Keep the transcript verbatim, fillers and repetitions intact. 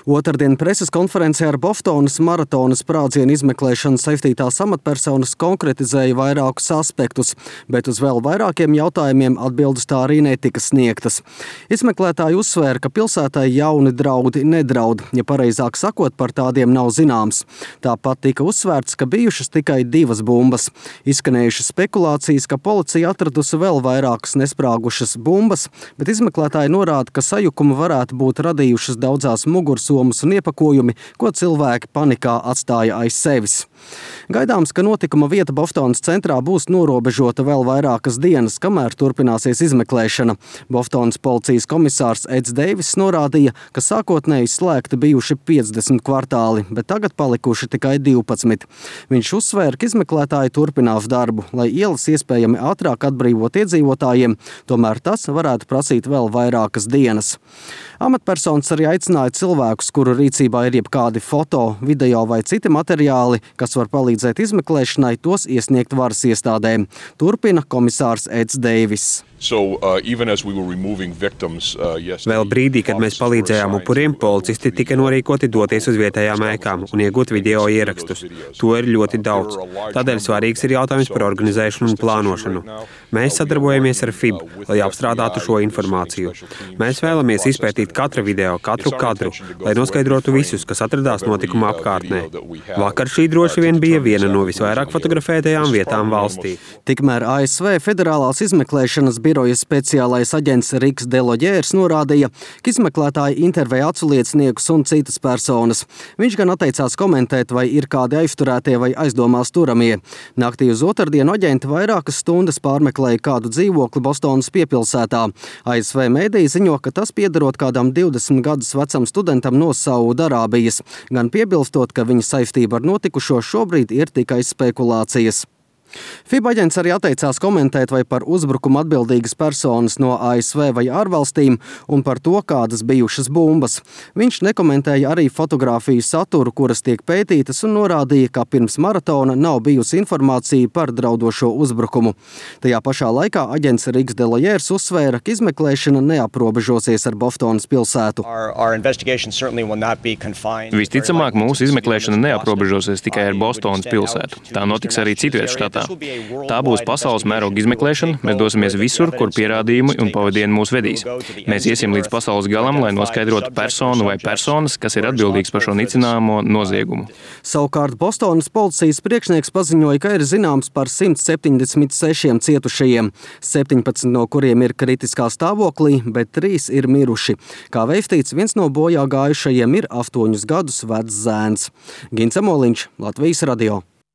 Otrdien preses konferencē ar Boftonas maratona sprādzienu izmeklēšanu saistītās amatpersonas konkretizēja vairākus aspektus, bet uz vēl vairākiem jautājumiem atbildes tā arī netika sniegtas. Izmeklētāji uzsvēra, ka pilsētai jauni draudi nedraud, ja pareizāk sakot, par tādiem nav zināms. Tāpat tika uzsvērts, ka bijušas tikai divas bumbas. Izskanējušas spekulācijas, ka policija atradusi vēl vairākas nesprāgušas bumbas, bet izmeklētāji norāda, ka sajukumu varētu būt radījušas daudzās mugursomas un iepakojumi, ko cilvēki panikā atstāja aiz sevis. Gaidāms, ka notikuma vieta Boftonas centrā būs norobežota vēl vairākas dienas, kamēr turpināsies izmeklēšana. Boftonas policijas komisārs Eds Deivis norādīja, ka sākotnēji slēgti bijuši piecdesmit kvartāli, bet tagad palikuši tikai divpadsmit. Viņš uzsvēra, ka izmeklētāji turpinās darbu, lai ielas iespējami ātrāk atbrīvot iedzīvotājiem, tomēr tas varētu prasīt vēl vairākas dienas. Amatpersonas arī aicināja cilvēkus, kuru rīcībā ir jebkādi foto, video vai citi materiāli, kas var palīdzēt izmeklēšanai, tos iesniegt varas iestādēm. Turpina komisārs Eds Deivis. So, uh, even as we were removing victims, uh, yes, Vēl brīdī, kad mēs palīdzējām upuriem, policisti tika norīkoti doties uz vietējām ēkām un iegūt video ierakstus. To ir ļoti daudz. Tādēļ svarīgs ir jautājums par organizēšanu un plānošanu. Mēs sadarbojamies ar F I B, lai apstrādātu šo informāciju. Mēs vēlamies izpētīt katru video, katru kadru, lai noskaidrotu visus, kas atradās notikuma apkārtnē. Vakar šī droši vien bija viena no visvairāk fotografētajām vietām valstī. Tikmēr A S V federālās izmeklēšanas biroja speciālais aģents Riks Deloģērs norādīja, ka izmeklētāji intervēja aculieciniekus un citas personas. Viņš gan atteicās komentēt, vai ir kādi aizturētie vai aizdomās turamie. Naktī uz otrdienu aģenti vairākas stundas pārmeklēja kādu dzīvokli Bostonas piepilsētā. A S V mēdīji ziņo, ka tas piederot kādam divdesmit gadus vecam studentam no Saudarābijas, gan piebilstot, ka viņa saistība ar notikušo šobrīd ir tikai spekulācijas. F I B aģents arī atteicās komentēt, vai par uzbrukumu atbildīgas personas no A S V vai ārvalstīm un par to, kādas bijušas bumbas. Viņš nekomentēja arī fotogrāfiju saturu, kuras tiek pētītas, un norādīja, ka pirms maratona nav bijusi informācija par draudošo uzbrukumu. Tajā pašā laikā aģents Riks Deloģērs uzsvēra, ka izmeklēšana neaprobežosies ar Boftonas pilsētu. Our, our investigation certainly will not be confined. Visticamāk, mūsu izmeklēšana neaprobežosies tikai ar Bostonas pilsētu. Tā notiks arī citviet štatā. Tā būs pasaules mēroga izmeklēšana. Mēs dosimies visur, kur pierādījumi un pavadieni mūs vedīs. Mēs iesim līdz pasaules galam, lai noskaidrotu personu vai personas, kas ir atbildīgs par šo nicināmo noziegumu. Savukārt Bostonas policijas priekšnieks paziņoja, ka ir zināms par simt septiņdesmit sešiem cietušajiem, septiņpadsmit no kuriem ir kritiskā stāvoklī, bet trīs ir miruši. Kā veistīts, viens no bojā gājušajiem ir astoņus gadus vecs zēns. Gins Amoliņš, Latvijas radio.